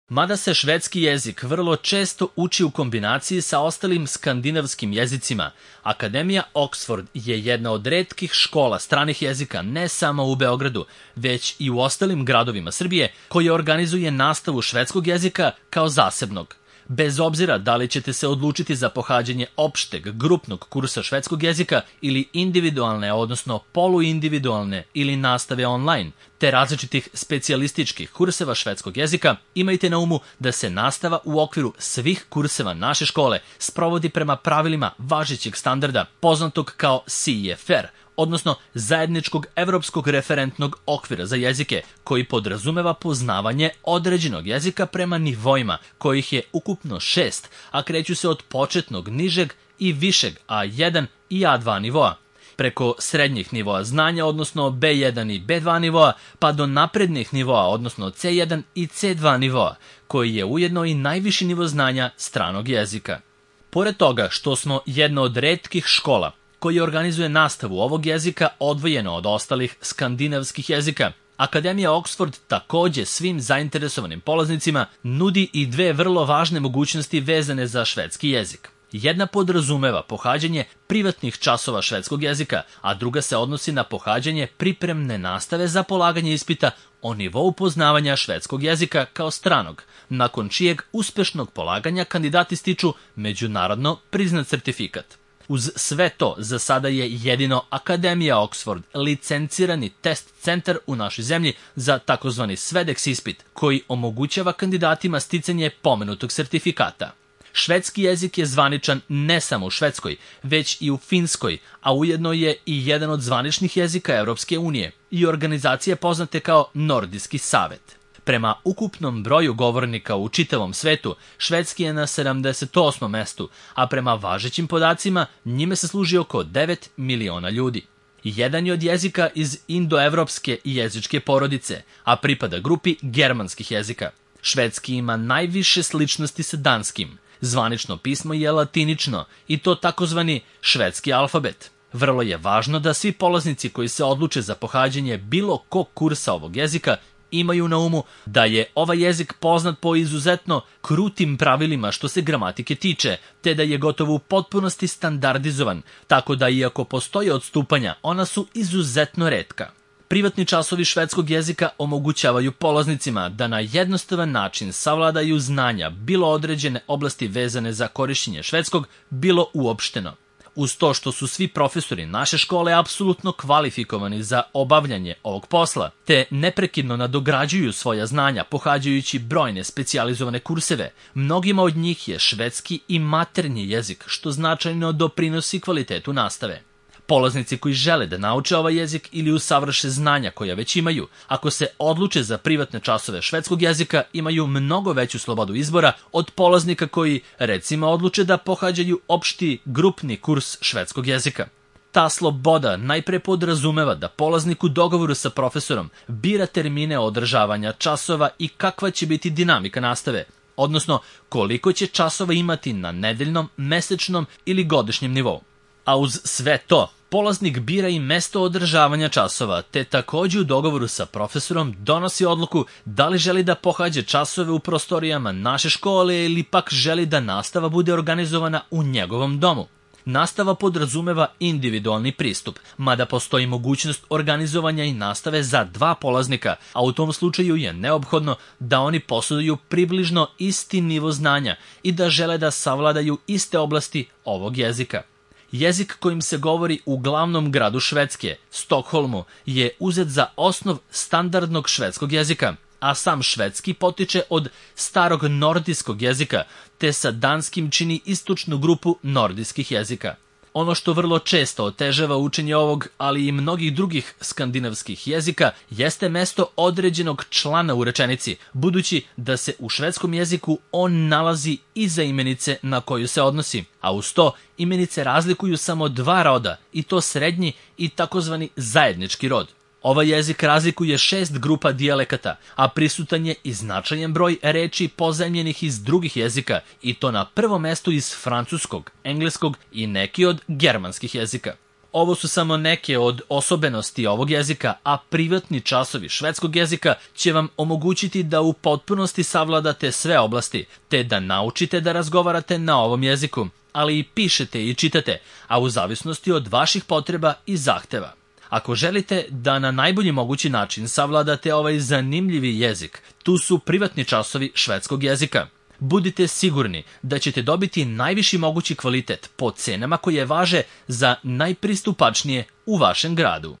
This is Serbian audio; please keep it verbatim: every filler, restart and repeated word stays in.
Mada se švedski jezik vrlo često uči u kombinaciji sa ostalim skandinavskim jezicima, Akademija Oxford je jedna od retkih škola stranih jezika ne samo u Beogradu, već i u ostalim gradovima Srbije, koja organizuje nastavu švedskog jezika kao zasebnog. Bez obzira da li ćete se odlučiti za pohađanje opšteg, grupnog kursa švedskog jezika ili individualne, odnosno poluindividualne ili nastave online, te različitih specijalističkih kurseva švedskog jezika, imajte na umu da se nastava u okviru svih kurseva naše škole sprovodi prema pravilima važećeg standarda, poznatog kao C E F R, odnosno zajedničkog evropskog referentnog okvira za jezike, koji podrazumeva poznavanje određenog jezika prema nivoima, kojih je ukupno šest, a kreću se od početnog, nižeg i višeg A jedan i A dva nivoa, preko srednjih nivoa znanja, odnosno B jedan i B dva nivoa, pa do naprednih nivoa, odnosno C jedan i C dva nivoa, koji je ujedno i najviši nivo znanja stranog jezika. Pored toga što smo jedna od retkih škola koji organizuje nastavu ovog jezika odvojeno od ostalih skandinavskih jezika, Akademija Oxford takođe svim zainteresovanim polaznicima nudi i dve vrlo važne mogućnosti vezane za švedski jezik. Jedna podrazumeva pohađanje privatnih časova švedskog jezika, a druga se odnosi na pohađanje pripremne nastave za polaganje ispita o nivou poznavanja švedskog jezika kao stranog, nakon čijeg uspešnog polaganja kandidati stiču međunarodno priznat sertifikat. Uz sve to, za sada je jedino Akademija Oxford licencirani test centar u našoj zemlji za takozvani Svedex ispit, koji omogućava kandidatima sticanje pomenutog sertifikata. Švedski jezik je zvaničan ne samo u Švedskoj, već i u Finskoj, a ujedno je i jedan od zvaničnih jezika Evropske unije i organizacije poznate kao Nordijski savet. Prema ukupnom broju govornika u čitavom svetu, švedski je na sedamdeset osmom mestu, a prema važećim podacima njime se služi oko devet miliona ljudi. Jedan je od jezika iz indoevropske jezičke porodice, a pripada grupi germanskih jezika. Švedski ima najviše sličnosti sa danskim. Zvanično pismo je latinično i to takozvani švedski alfabet. Vrlo je važno da svi polaznici koji se odluče za pohađanje bilo kog kursa ovog jezika imaju na umu da je ovaj jezik poznat po izuzetno krutim pravilima što se gramatike tiče, te da je gotovo u potpunosti standardizovan, tako da iako postoje odstupanja, ona su izuzetno retka. Privatni časovi švedskog jezika omogućavaju polaznicima da na jednostavan način savladaju znanja bilo određene oblasti vezane za korišćenje švedskog, bilo uopšteno. Uz to što su svi profesori naše škole apsolutno kvalifikovani za obavljanje ovog posla, te neprekidno nadograđuju svoja znanja pohađajući brojne specijalizovane kurseve, mnogima od njih je švedski i maternji jezik, što značajno doprinosi kvalitetu nastave. Polaznici koji žele da nauče ovaj jezik ili usavrše znanja koja već imaju, ako se odluče za privatne časove švedskog jezika, imaju mnogo veću slobodu izbora od polaznika koji, recimo, odluče da pohađaju opšti grupni kurs švedskog jezika. Ta sloboda najpre podrazumeva da polaznik u dogovoru sa profesorom bira termine održavanja časova i kakva će biti dinamika nastave, odnosno koliko će časova imati na nedeljnom, mesečnom ili godišnjem nivou. A uz sve to, polaznik bira i mesto održavanja časova, te takođe u dogovoru sa profesorom donosi odluku da li želi da pohađa časove u prostorijama naše škole ili pak želi da nastava bude organizovana u njegovom domu. Nastava podrazumeva individualni pristup, mada postoji mogućnost organizovanja i nastave za dva polaznika, a u tom slučaju je neophodno da oni posjeduju približno isti nivo znanja i da žele da savladaju iste oblasti ovog jezika. Jezik kojim se govori u glavnom gradu Švedske, Stokholmu, je uzet za osnov standardnog švedskog jezika, a sam švedski potiče od starog nordijskog jezika, te sa danskim čini istočnu grupu nordijskih jezika. Ono što vrlo često otežava učenje ovog, ali i mnogih drugih skandinavskih jezika, jeste mesto određenog člana u rečenici, budući da se u švedskom jeziku on nalazi iza imenice na koju se odnosi, a uz to imenice razlikuju samo dva roda, i to srednji i takozvani zajednički rod. Ovaj jezik razlikuje šest grupa dijalekata, a prisutan je i značajan broj reči pozajmljenih iz drugih jezika, i to na prvom mestu iz francuskog, engleskog i neki od germanskih jezika. Ovo su samo neke od osobenosti ovog jezika, a privatni časovi švedskog jezika će vam omogućiti da u potpunosti savladate sve oblasti, te da naučite da razgovarate na ovom jeziku, ali i pišete i čitate, a u zavisnosti od vaših potreba i zahteva. Ako želite da na najbolji mogući način savladate ovaj zanimljivi jezik, tu su privatni časovi švedskog jezika. Budite sigurni da ćete dobiti najviši mogući kvalitet po cenama koje važe za najpristupačnije u vašem gradu.